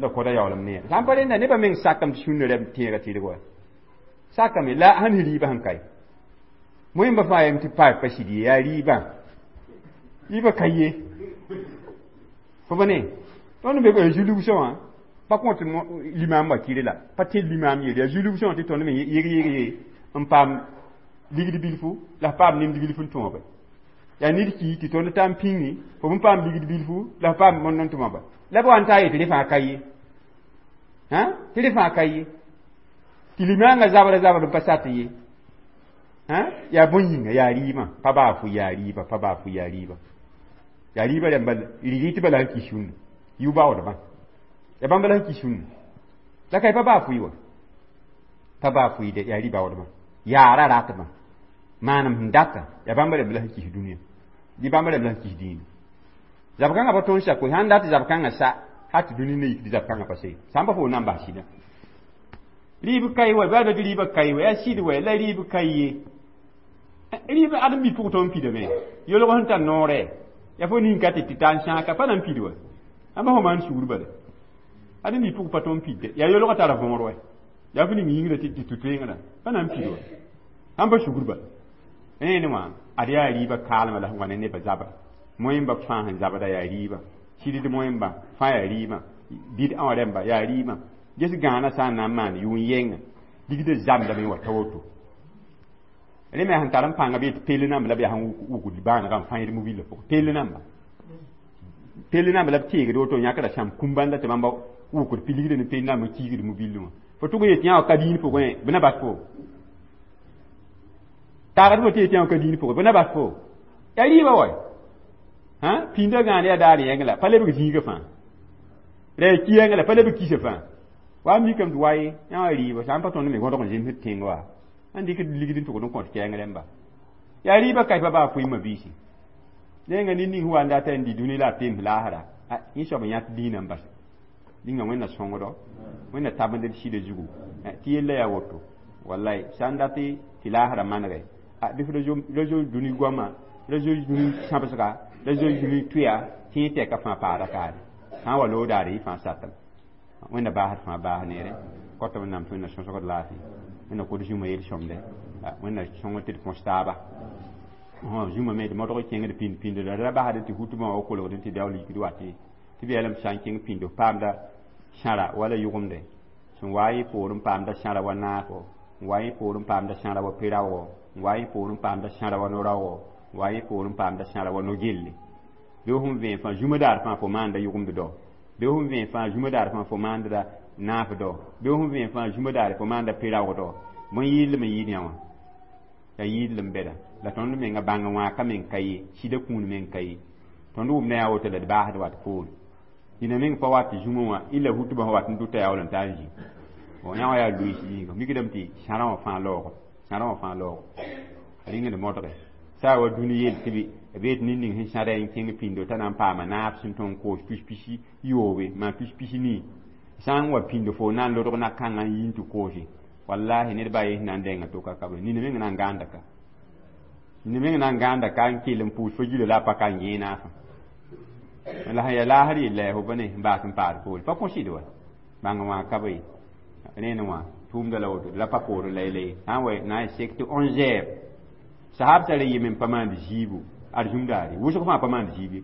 Na kõda yaoolem neere. Sã n pa rẽnda nebã meng sakame tɩ sũnã rɛm tẽega tɩrg wa. Sakame la sẽn rɩɩbã sẽn kae. Moẽmba fãa yem tɩ pa pa sɩd ye yaa rɩɩbã. Rɩɩbã ka ye. Fo pa ne? Tõnd be zulgsã wã pa kõt limaam wa kɩre la. Pa tẽ limaam yelle. Yaa zulgsã wã tɩ tõnd me yeg yeg ye n paam ligd bilfu la f paam nemd bilfu n tõobe. Yaa ned ki tɩ tõnd taa n pĩngi fo n paam ligd bilfu la f paam mõnd n tʋma ba. La b wa n taa yetɩ rẽ fãa ka ye. Tɩ rẽ fãa ka ye. Tɩ limaangã zabra zabr n pa sat ye. Yaa bõe yĩnga yaa rɩɩbã pa baa fʋ yaa rɩɩbã pa baa fʋ yaa rɩɩbã. Yaa rɩɩbã rãmba rɩ-rɩtbã la sẽn ki sũnna. Yʋ-baoodbã. Yaa bãmba la sẽn ki sũnna. La ka y pa baa fʋɩ wa. Pa baa fʋɩ dɛ yaa rɩ-baoodbã. Yaara ratbã. Maanem sẽn data yaa bãmba rãmb la sẽn kis dũniyã. Dɩ bãmba rãmb la sẽn kis dĩinã. Zab-kãngã pa tõnd sa koe sã n dat zab-kãngã sa ha tɩ dũni ne yik tɩ zab-kãngã pa se. Sã n pa fo na n bas sɩdã. Rɩɩb ka ye wa baa tɩ rɩɩbã ka ye wa yaa sɩd wa la rɩɩb ka ye. Rɩɩb ãdem-bi pʋg tõnd pidame. Yolg sẽn tar noorɛ. Yaa fo ning ka tɩ tɩ ta n sãag ka pa na n pid wa. Ãmba fo maan sugr bala. Ad ni pʋg pa tõnd pidde. Yaa yolgã tara võor wɛ. Yaa fo ning yĩngrã tɩ tɩ toeengdã. Pa na n pid wa. Ãmba sugr bala. Rẽnd wã, ad yaa rɩɩbã kaalmã la sẽn wa ne nebã zabra. Moẽmbã fãa sẽn zabda yaa rɩɩbã. Sɩdd moẽmbã fãa yaa rɩɩbã. Bɩd ã wã rẽmba yaa rɩɩbã. Ges gãanã sã n na n maan yʋʋn yɛnga, ligdã zambdame n wa ta woto. Rẽ me sẽn tar n pãnga bɩ tɩ pell namba la b yaa sẽn wukd bãanegã n fãeed mobillã pʋgẽ. Pell namba. Pell namba la b teegd woto n yãkra sãmb kũm-bãnda tɩ bãmba wukd pi ligdã ne pell namba n kiigd mobillẽ wã. Fo tʋg n yet yã wã ka dĩin pʋgẽ, bɩ na bas fo. Taagd fo tɩ yet yã wã ka dĩin pʋgẽ, bɩ na bas fo. Yaa rɩɩbã wa. Hã? Pĩndã gãane yaa daar yẽng la, pa lebg zĩigã fãa. Ra yaa ki yẽng la, pa lebg kisã fãa. Wa mikame tɩ wa ye, yã wã rɩɩbã, sã n pa tõnd me gõdg n zemsd tẽng wa, n dɩk ligd n tʋgd n kõt kɛɛng rẽmba. Yaa rɩɩbã ka pa baa fʋɩ mabiisi. Rẽnga ned ning sẽn wa n dat n dɩ dũni la a pems laasra, yẽ soab n yãt dĩinã n bas. Dĩnga Wẽnna sõngdo, Wẽnna tabend d sɩdã zugu. Tɩ yella yaa woto. Wallay, sã n dat tɩ laasrã manege, bɩ f ra zoe dũni goama, ra zoe dũni sãbsga, ra zoe dũni tʋya, tɩ yẽ tɛka fãa paada kaare. Sã n wa loog daare yɩ fãa satem. Wẽnna baasd fãa baas neere. Kota Wẽnnaam tɩ Wẽnna sõsgd laafɩ. Wẽnna kod zũma yel-sõmde. Wẽnna sõng tɩ d põs taaba. Zũma me d modg kẽngd pĩnd pĩnd la ra basd tɩ hutbã wã kolgd tɩ daool yikd wat tɩ b yeelame sã n kẽng pĩnd f paamda sãra wala yʋgemde sẽn wa yẽ poor n paamda sãra wa naafo, n wa yẽ poor n paamda sãra wa pe-raoogo, n wa yẽ poor n paamda sãra wa no-raoogo, n wa yẽ poor n paamda sãra wa no-gelle. Bɩ fõn vẽen fãa zũma daar fãa fo maanda yʋgemd dao, bɩ fõn vẽen fãa zũma daar fãa fo maanda naaf dao, bɩ fõn vẽen fãa zũma daar fo maanda pe-raoog dao, bõe yɩɩl n yɩɩd yã wã. Yaa yɩɩl n bɛda. La tõnd menga bãng wãaka meng ka ye, sɩda kũun meng ka ye. Tõnd wʋmda yaa woto la d baasd wat poore. Dĩnã meng pa wat zũma wã, illa hutbã sẽn wat n dʋta yaool n ta n zĩ. Yã wã yaa loees yĩnga. Mikdame tɩ sãrã wã fãa laoogo, sãrã wã fãa laoogo. Rĩng d modge. Sã wa dũni yel tɩ b yet ned ning sẽn sãda n kẽng pĩndo t'a na n paama naab sẽn tõe n koos pis-pisi yoobe, maan pis-pisi nii. Sã n wa pĩndo fo na n lodg na-kãngã n yi n tɩ koose. Wallahi ned baa yen sẽn na n denga to ka ka be. Nina meng na n gãanda ka. Nina meng na n gãanda ka n kell n pʋʋs fo gila la a pa ka n yẽ naafã. La sẽn yaa laasr yella yaa fo bõne n baas n paad poore. Pa kõ sɩd wa. Bãng wã ka be ye. Rẽnd wã, tʋʋmda la woto, la pa poorẽ la yella ye. Sã n wa na n sek tɩ 11 heures. Sahab tara yem n pa maand zĩibu ad zũm daare. Wʋsg fãa pa maand zĩib ye.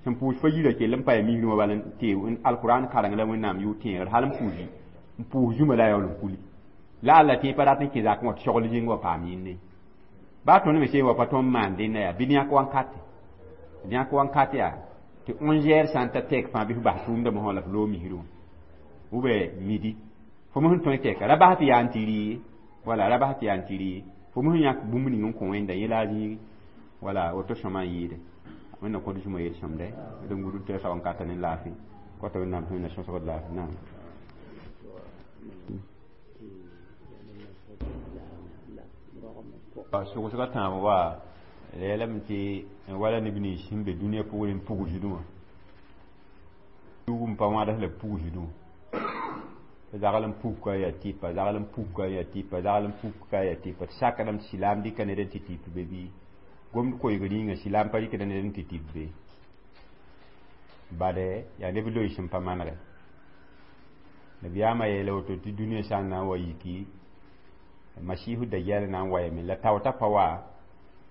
Sẽn pʋʋs fa yirã kell n pa ya misrẽ wã bala n tee alkurãn kareng la Wẽnnaam yʋʋr tẽegr hal n pʋʋs zũma la a yaool n kuli. La alla tẽ pa rat n kẽ zakẽ wã tɩ sogl zĩng wa paam yĩnde. Baa tõnd me sẽn wa pa tõnd maan dẽnda yaa bɩ yãk wankate. Yãk wankate yaa tɩ 11 heures sã n ta tɛk fãa bɩ f bas tʋʋmdã mosã la f loog misrẽ wã. Ou bien midi. Fo mos n tõe tɛka. Ra bas tɩ yaa n tɩ rɩ wala ra bas tɩ yaa n tɩ rɩ. Fo mos n yãk bũmb ning n kõ Wẽnda yẽ la a zĩigi. Wala woto sõma n yɩɩde. Wẽnna kõt zũma yel-sõmde. D n gũud tɩ wankata ne laafɩ. Kota Wẽnnaam tɩ Wẽnna sõsgd laafɩ. Naam. Sogsgã tãab wa la yeelame tɩ wala neb nins sẽn be dũniyã pʋgẽ n pugsdẽ wã. Tugum pa wãds la pugsdẽ wã. Zagl n puk yaa tɩpa, zagl n puk yaa tɩpa, zagl n puk yaa tɩpa. Tɩ sakdame tɩ silaam dɩka ned n tɩ tɩp be bɩ gomd koeeg rĩnga silaam pa rɩkda ned n tɩ tɩp be. Bade yaa neb loees sẽn pa manegɛ. Nabiyaamã yeela woto tɩ dũniyã sã n na n wa yiki Masiihu Dajjal na n wayame la taoota pa wa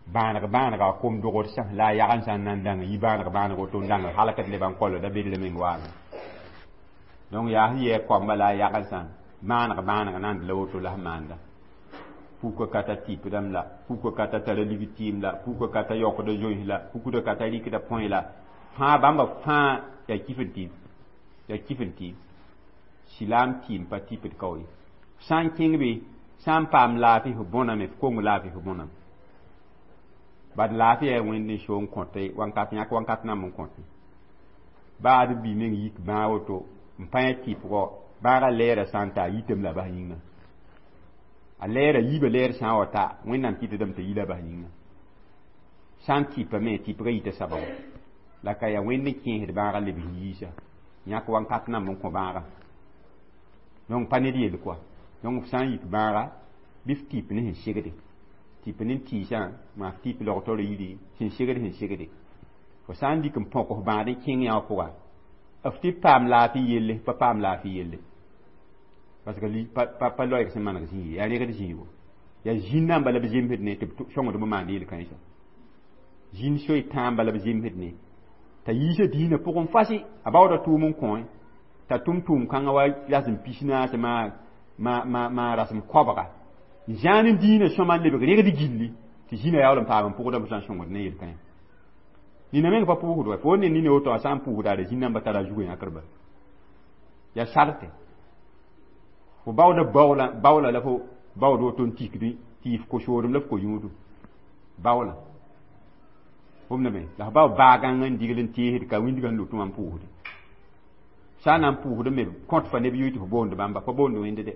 bãaneg bãanega kom dogd sã la a yagn sã n na n dãng yi bãaneg bãaneg woto n dãng halkd lebã n koalo da bedr meng waame. Donc yaa sẽn yɛɛ koamba la a yagn sã bãaneg bãaneg na n la woto la sẽn maanda. Puka ka ta tɩpdame la, puka ka ta tara lig tɩɩm la, puka ka ta yaokda zoens la, pukda ka ta rɩkda põe la. Fãa bãmba fãa yaa kif n tɩɩm. Yaa kif n tɩɩm. Silaam tɩɩm pa tɩpd kao ye. Sã n kẽng be, sã n paam laafɩ f bõname, f kong laafɩ f bõname. Bad laafɩ yaa Wẽnd n so n kõte wankat yãk wankat namb n kõte. Baa d bi meng yik bãag woto n pa yã tɩpgɔ bãagã lɛɛrã sã n ta a yitame la bas yĩnga. A lɛɛrã yiibã lɛɛr sã n wa ta Wẽnnaam kɩtdame t'a yi la bas yĩnga. Sã n tɩpame tɩpgã yita sababo. La ka yaa Wẽnd n kẽesd bãagã lebs yiisa. Yãk wankat namb n kõ bãagã. Donc pa ned yell quoi. Donc f sã n yik bãaga bɩ f tɩp ne sẽn segde. Tɩp ne tɩɩsã maa f tɩp logtr yiri sẽn segd sẽn segde. Fo sã n dɩk n põk f bãad n kẽng yã wã pʋga, f tɩ paam laafɩ yelle, pa paam laafɩ yelle, parce que pa loɛɛg sẽn maneg zĩig ye, yaa rẽgd zĩigo, yaa zĩn-namba la b zemsd ne tɩ b sõngd b maand yel-kãensã. Zĩn soy tãamba la b zemsd ne t'a yiisa dĩinã pʋgẽ fasi, a baooda tʋʋm n kõ t'a tʋm tʋʋm-kãngã wa rasem 40 ma rasem koabga n zãan n dĩinã sõma n lebg rẽgd gilli tɩ zĩnã yaool n paam n pʋgda b sã n sõngd ne yel-kãensã. Nina meng pa pʋʋsd wa fo ne nina woto a sã n pʋʋsda d zĩn-namba tara zugã yãkr ba yaa sarte fo baooda baoola baoola la fo baood woto n tikdi tɩ f ko-soodem la f ko-yũudum baoola wʋmdame la f bao baagãng n digl n teesd ka wĩndgã sẽn lut wã n pʋʋsde sã n na n pʋʋsd me kõt fa neb yoy tɩ fo boond bãmba pa boond wẽnd de.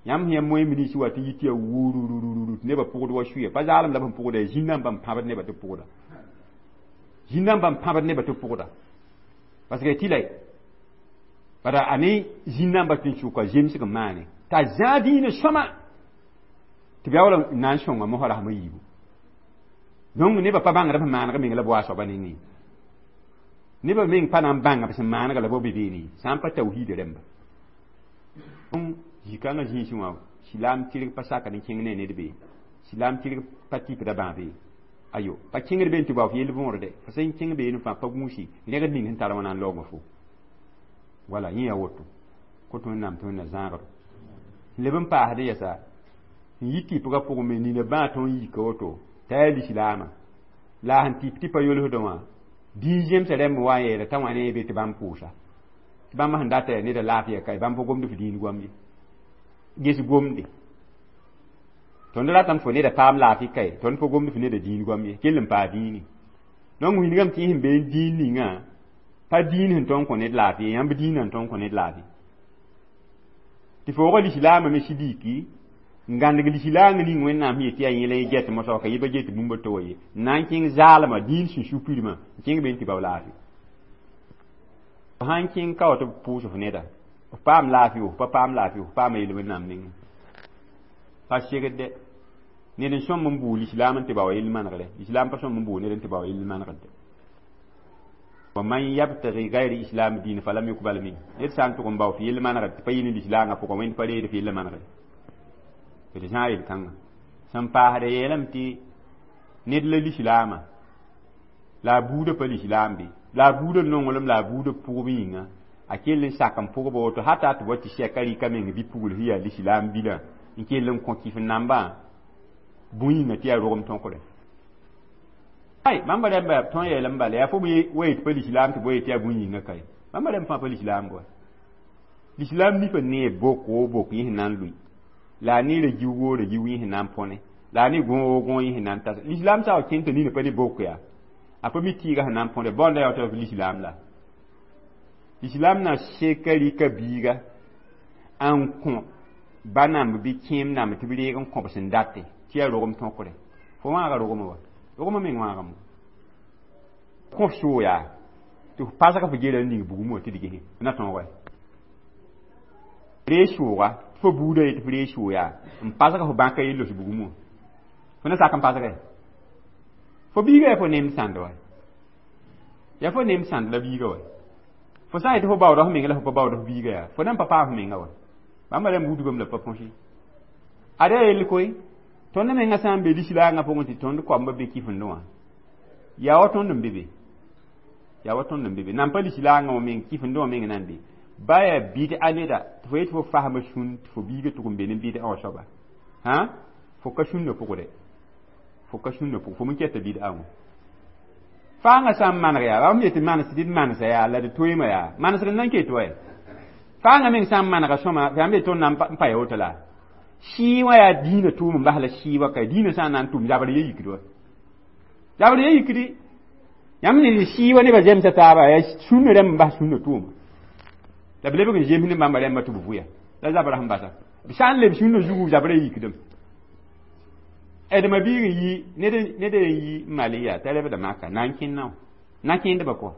Yãmb sẽn yaa moẽ minisi wa tɩ yit yaa wururururu tɩ nebã pʋgd wa suya pa zaalem la b sẽn pʋgda yaa zĩn-nambã n pãbd nebã tɩ pʋgda, zĩn-nambã n pãbd nebã tɩ pʋgda, parce que tɩ la bara a ne zĩn-nambã tɩ n sʋka zemsg n maane t'a zãa dĩinã sõma tɩ b yaa wala n na n sõnga mosã rasem a yiibu. Donc nebã pa bãngd b sẽn maaneg meng la b wa a soaba nengẽ, nebã meng pa na n bãnga b sẽn maanega la bo be beene sã n pa tawhiida rẽmba. Donc zĩ-kãngã zĩisẽ wã silaam tɩrg pa sakd n kẽng ne ned be, silaam tɩrg pa tɩpda bãabe ayo pa kẽngd be n tɩ bao f yell võorde fo sẽn kẽng beene fãa pa gũusi rẽgd ning sẽn tar wã na n laoogã fo wala yẽ yaa woto kõt Wẽnnaam tɩ Wẽnna zãagdo leb n paasd yɛsa n yi tɩpgã pʋgẽ me nina bãa tõnd yika woto t'a yaa lislaamã la a sẽn tɩp tɩ pa yolsdẽ wã dĩin zemsã rẽmb wa n yeela t'a wã ne be tɩ bãmb pʋʋsa tɩ bãmb sẽn data yaa neda laafɩya ka bãmb pa gomd f dĩin goam ye ges gomde tõnd ratame fo neda paam laafɩ kae tõnd pa gomd f neda dĩin goam ye kell n paa dĩini. Donc wilgame tɩ sẽn be n dĩin ninga pa dĩin sẽn tõnd kõ ned laafɩ ye, yãmb dĩinã n tõnd kõ ned laafɩ tɩ foogã lislaamã me sidiki n gãndg lislaang ning Wẽnnaam sẽn yet tɩ yaa yẽ la yẽ get mosã ka yẽ pa get bũmb to wa ye n na n kẽng zaalmã dĩin sẽn su pirmã n kẽng be n tɩ bao laafɩ sã n kẽng ka wa tɩ b pʋʋs f neda f paam laafɩ f pa paam laafɩ f paama yel Wẽnnaam nengẽ pa segd ned n sõm n buu lislaam n tɩ bao yell manegre, lislaam pa sõm n buu ned n tɩ bao yell manegde. Wa man yabtagi gayri islam diin falam yukbal min ned sã n tʋg n bao f yell manegre tɩ pa yɩ ne lislaangã pʋgã Wẽnd pa reed f yell manegre d zã yel-kãngã sẽn paasda yeelame tɩ ned la lislaamã la a buudã pa lislaam be la a buudã nonglem la a buudã pʋgb yĩnga a kell n sak n pʋgba woto hata tɩ wa tɩ sɛka rɩka meng bi-pugl sẽn yaa lislaam bilã n kell n kõ kɩf nambã bũn yĩnga tɩ yaa rogem tõkre ay bãmba rẽmba tõnd yeelame bala yaa fo wa yet pa lislaam tɩ bo yet yaa bũn yĩnga kae bãmba rẽmb fãa pa lislaam boa lislaam nifa nee bok o bok yẽ sẽn na n lʋɩ la a neera giugo ra giug yẽ sẽn na n põne la a ne gõo gõo yẽ sẽn na n tas lislaam sa wa kẽng t'a nina pa ne bok yaa a pa mi tɩɩga sẽn na n põne bõnda yaa tɩ lislaam la lislaam na seka rɩka biiga n kõ ba namb bɩ kẽem namb tɩ b reeg n kõb sẽn date tɩ yaa rogem tõkre fo wãaga rogmã wa rogmã meng wãagame kõf soo yaa tɩ f pasg f gera n ning bugum wã tɩ d gese na tõog wa ree sooga tɩ fo buudã ye tɩ f ree soo yaa n pasg f bãka ye los bugum wã fo na sak n pasge fo biiga yaa fo nemd sãnd wa yaa fo nemd sãnd la biiga wa fo sã n yetɩ fo baooda f menga la fo pa baooda f biiga yaa fo nan pa paam f menga wa bãmba rẽmb wudgame la pa põsi ada yell koe tõnd mengã sã n be lislaangã pʋgẽ tɩ tõnd koamba be kifendẽ wã yaa wa tõnd n be be yaa wa tõnd n be be nan pa lislaangã wã meng kifendẽ wã meng nan be ba yaa bɩd-a neda tɩ fo yetɩ fo fasma sũn tɩ fo biiga tʋg n be ne bɩd-a wã soaba hã fo ka sũnna pʋgde fo ka sũnna pʋg fo me kɛta bɩd-a wã faangã sã n maneg yaa bãmb yetɩ manes tɩ d manesa yaa la d toeema yaa manesg n nan ket wa faangã meng sã n manega sõma yãmb yetɩ tõnd na n pa ya woto la sɩɩ wã yaa dĩinã tʋʋm n bas la sɩɩ wa ka dĩinã sã n na n tʋm zabr ye yikd wa zabr ye yikdi yãmb ne sɩɩ wa nebã zemsa taaba yaa sũnna rãmb n bas sũnna tʋʋma la b lebg n zems ne bãmba rãmba tɩ b vʋya la zabra sẽn basa b sã n leb sũnna zugu zabra yikdem ɛdma biig n yi ned n yi mali yaa t'a lebda maka na n kẽnna na kẽndbã pʋga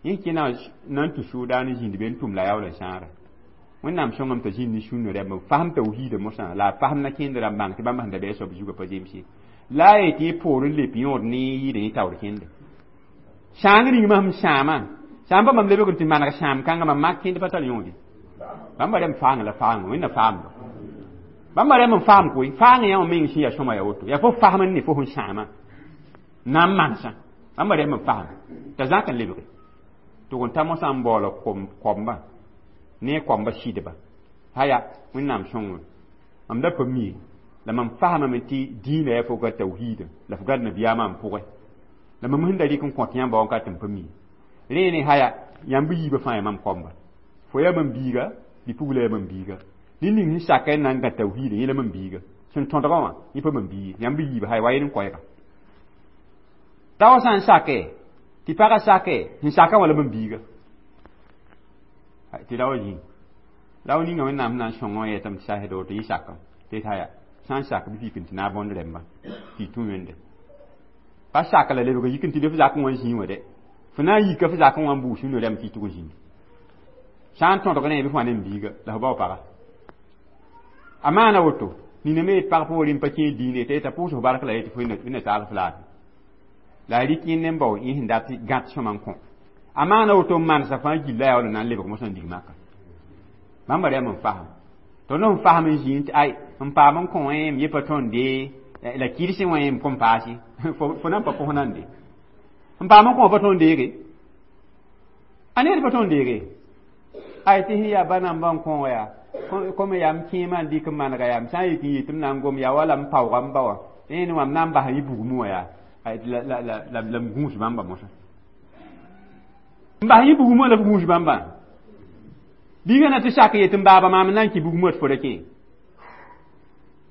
yẽ kẽna na n tũ sʋʋdaan n zĩnd be n tʋm la yaool n sãara Wẽnnaam sõngame t'a zĩnd ne sũnna rãmba fasem tawhiida mosã la a fasem na kẽnd rãmb bãng tɩ bãmb sẽn da bɩ a soab zugã pa zemse la a yetɩ yẽ poor n lep yõod ne yɩɩd yẽ taoor kẽnde Sãang ning mam sãama sã n pa mam lebg n tɩ maneg sãam kãngã mam mak kẽnd pa tar yõode. Bãmba rẽm faang la faang wẽnna faamdo. Bãmba rẽm n faam koe faang yã wã meng sẽn yaa sõma ya woto yaa fo fasem n ne fo sẽn sãama na n manesã bãmba rẽm n fasem t'a zãk n lebge tɩ n ta mosã n baoola koamba ne koamba sɩdba haya wẽnnaam sõngame mam da pa mi la mam fasamame tɩ dĩinã yaa fo ga tawhiida la f gad nabiyaamã n pʋgẽ la mam sẽn da rɩk n kõt yãmba wã ka tɩ m pa mi rẽ ne haya yãmb yiibã fãa yaa mam koamba fo yaa mam biiga bɩ-pugla yaa mam biiga ned ning sẽn saka n na n gã tawhiida yẽ la mam biiga sẽn tõdgã wã yẽ pa mam biig yãmb yiibã haya wa yel n koɛɛga rao sã n sake tɩ pagã sake sẽn sakã wã la mam biiga tɩ rao zĩ rao ninga wẽnnaam sẽn na n sõng wã yetame tɩ sasd woto yẽ sakam tɩ haya sã n sak bɩ fik n tɩ naag bõnd rẽmba tɩ y tũ wẽnde pa sak la lebg yik n tɩ be f zakẽ wã zĩig wã dɛ fo na n yika f zakẽ wã n buus sũno rɛm tɩ y tʋg n zĩndi sã n tõdg rẽ bɩ fo wã ne m biiga la fo bao paga a maana woto nina me pag poorẽ n pa kẽe diine t'a yeta pʋʋs f bark la yetɩ fo wẽnna taal f laafɩ la a rɩk yẽnd n bao yẽ sẽn dat gãt sõma n kõ a maana woto n manesa fãa gilla yaa wala na n lebg mosã n dig maka bãmba rɛm n fasem tõnd n fasem n zĩig tɩ ay n paam n kõ wẽ m ye pa tõnde la kɩrsẽ wã m kõn paase fo na n pa kos nande n paam n kõ pa tõnd deege a ned pa tõnd deege ay tɩ sẽn yaa ba namba n kõ wã yaa kom yaa m kẽemã n dɩk n manega yaa m sã n yik n yɩ tɩ m na n gom yaa wala m paooga m ba wã rẽnd wã m na n basa yẽ bugmẽ wã yaa la m gũus bãmba mosã n bas yẽ bugmẽ la f gũus bãmbã biigã na tɩ sak yetɩ n baaba maam n na n kɩ bugmã tɩ fo ra kẽ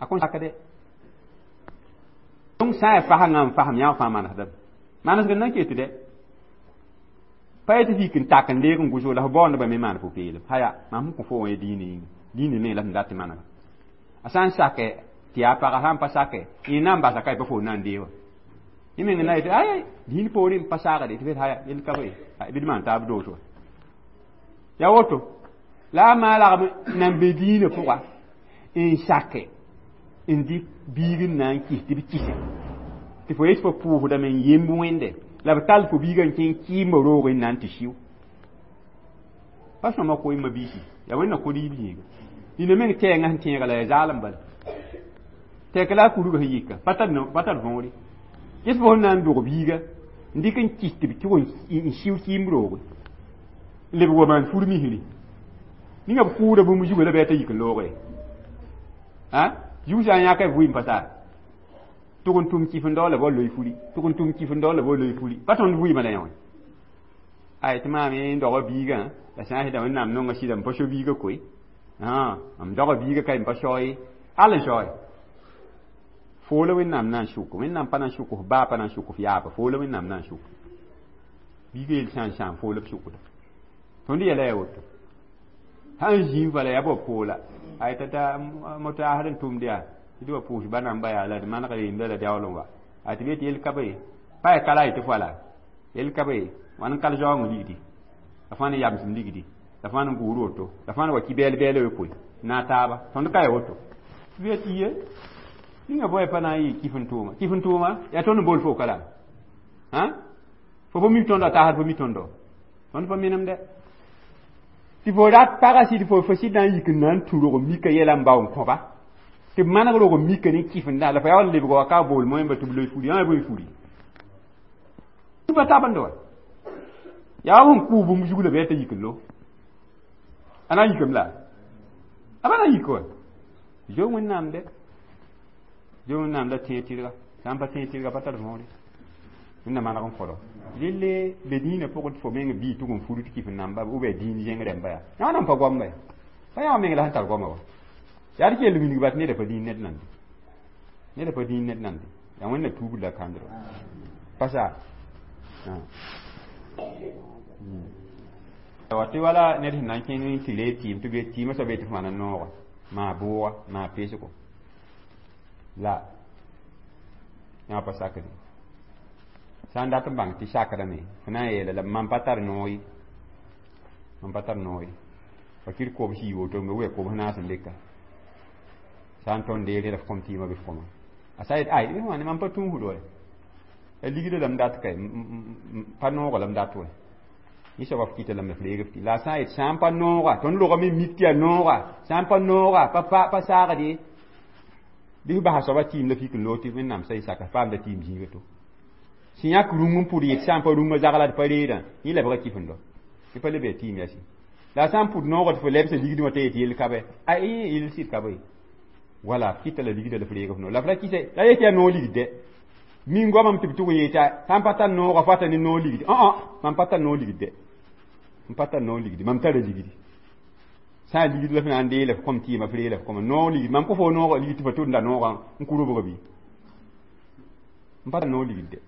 a kõn sakde donc sã n yaa fasengã n fasem yã fãa manesdame manesg n na n ket dɛ pa yetɩ fik n tak n leeg n gʋsg la f baoondbã me maan pʋ-peelem haya mam sẽn kõ fo wã diinã yĩnga diinã me la sẽn dat tɩ manega a sã n sake tɩ yaa paga sã n pa sake yẽ na n basa ka pa fo na n dee wã yẽ meng na yetɩ ay diin poorẽ n pa saagde tɩ haya yel ka be bɩ d maan taab doos wa yaa woto la a maa lagm nan be diinã pʋga n sake n dɩk biig n na n kɩs tɩ b kɩse tɩ fo yetɩ fo pʋʋsdame n yemb wẽnde la b tall fo biigã n kẽ kɩɩmbã roog n na n tɩ siʋ pa sõma koeemã biisi yaa wẽnna kõ riib yĩnga nina meng tɛɛngã sẽn tẽega la yaa zaalem bala tɛk la a kurgã sẽn yika pa tar võore yet fo sẽn na n dog biiga n dɩk n kɩs tɩ b tʋg n siʋ kɩɩmb rooge n lebg wa maan fur misri ninga b kʋʋda bũmb zuga la bɩ t'a yik n looge a zug sã n yãka b vɩɩm pa taa tʋg n tʋm kɩf n dao la ba loe furi tʋg n tʋm kɩf n dao la ba loe furi pa tõnd vɩɩmã la yã wã ay tɩ maam n doga biigã la sã n sɩda wẽnnaam nonga sɩda n pa so biigã koe m doga biigã ka n pa sao ye al n sao ye foo la wẽnnaam na n sʋk wẽnnaam pa na n sʋk f baa pa na n sʋk f yaaba foo la wẽnnaam na n sʋk biigã yel sã n sãam foo la b sʋkda tõnd yɛla yaa woto sã n zĩig bala yaa bao poola ay t'a motaasd n tʋmd yaa tɩ wa pʋʋs ba namba yaa la d maneg yemda la daool n wa a tɩ be tɩ yel ka be pa yaa kala yetɩ fo la yel ka be wãn n kal zaoongã ligdi la fãa ne yamsem ligdi la fãa ne gʋʋr woto la fãa ne wa kɩ bɛɛl bɛɛl we koe na taaba tõnd ka ya woto tɩ be tɩ ye ninga boy pa na n yɩ kɩf n tʋʋma kɩf n tʋʋma yaa tõnd n bool fo ka la fo pa mi tõndo a taasd pa mi tõndo tõnd pa menemdɛ tɩ fo rat pagã sɩd fo sɩd na n yik n na n tũ rog n mika yɛla n bao n kõba tɩ b maneg rog n mika ne kɩf n da la fo yaa wa lebg wa ka bool moẽmba tɩ b loe furi ã bõe furi tɩ pa tabend wa yaa wa sẽn kʋʋ bũmb zug la bɩ t'a yik n lo a na n yikame la a pa na n yik wa zo wẽnnaam dɛ zo wẽnnaam la tẽeg tɩrga sã n pa tẽeg tɩrga pa tar võore wẽnna maneg n fɔlɔ relle be dĩinã pʋgẽ tɩ fo meng bii tʋg n fur tɩ kɩf n namba ou bien dĩin zẽng rẽmba yaa yã nan pa goamba ya pa yã meng la sẽn tar goama wa yaa d kell wilg bat neda pa dĩin ned nande neda pa dĩin ned nande yaa wẽnna tuubd la kãndr pa sa wa tɩ wala ned sẽn na n kẽng tɩ lee tɩɩm tɩ be tɩɩmã soab yetɩ f maan n nooga maa bʋʋga maa pesgo la yã pa sakde sã n dat n bãng tɩ sakdame fo na n yeela la mam pa tar noog ye mam pa tar noog ye fakir kobs yi woto me wɛ kobs naas n leka sã n tõnd deere la f kõm tɩɩmã bɩ f kõma a sa yet ay bɩ wãne mam pa tũusd wa Ligdã la m dat ka pa noogã la m dat wɛ. Yẽ soaba f kɩta lame f reeg f tɩ la a sã n yet sã n pa nooga, tõnd rogame mik tɩ yaa nooga, sã n pa nooga pa saagd ye, bɩ f basa soaba tɩɩm la fik n loog tɩ Wẽnnaam sa y saka paamda tɩɩm zĩiga to sẽn yãk rũng n pʋd yet sã n pa rũngã zagla d pa reedã, yẽ lebga kɩf n dɔ tɩ pa le bee tɩɩm yasi. La a sã n pʋd noogã tɩ fo lebsa ligdẽ wã t'a yet yell ka bɛ, a yell sɩd ka bɛ. Wala f kɩta la ligdã la f reeg f no la f ra kɩsɛ la yet yaa noog ligd dɛ. Min goamame tɩ b tʋg n yeeta sã n pa tar noogã fata ne noog ligd. Õ, mam pa tar noog ligd dɛ, m pa tar noog ligdi, mam tara ligdi. Sã n ligd la f na n dee la f kõm tɩɩma, f ree la f kõma noog ligd. Mam kõ fo noog ligd tɩ fa tʋmda noogã n kʋ robga bɩ? M pa tar noog ligd dɛ,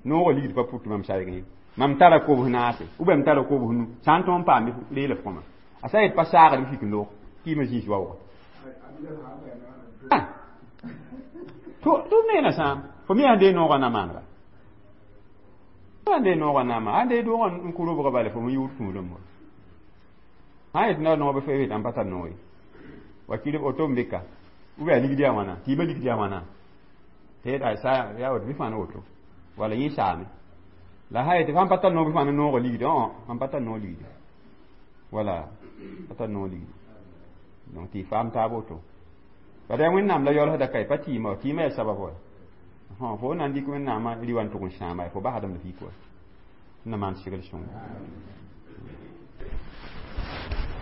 noogã ligd pa pʋt mam saɩg ye. Mam tara kobs naase ou bien m tara kobs nu, sã n tõog n paam ree la f kõma. A sã n yet pa saagd b fik n loog kɩɩmã zĩis waoogã to me na sãam fo me sãn dee noogã na maanega, sãn dee noogã na maan, sãn dee doogã n kʋ robga bala fo me yʋʋd tũudem wa. Sã n yet na noog bɩ fo yet n pa tar noog ye, wa kɩr oto n beka ou bien a ligd yaa wãna, tɩɩmã ligd yaa wãna, tɩ sa yaa woto bɩ fãa woto wala yẽ saame. La sã yetɩ fãn pa tar noog bɩ fãa noogã ligd, õ, mam pa tar noog ligdi, wala pa tar noog ligdi. Donc tɩ y faam taab woto. Bad yaa Wẽnnaam la yaoolsda ka pa tɩɩmã wa, tɩɩmã yaa sabab wa. Fo na n dɩk Wẽnnaamã rɩ wa n tʋg n sãama, fo basdame la fik wa. Na maan segl sõngo.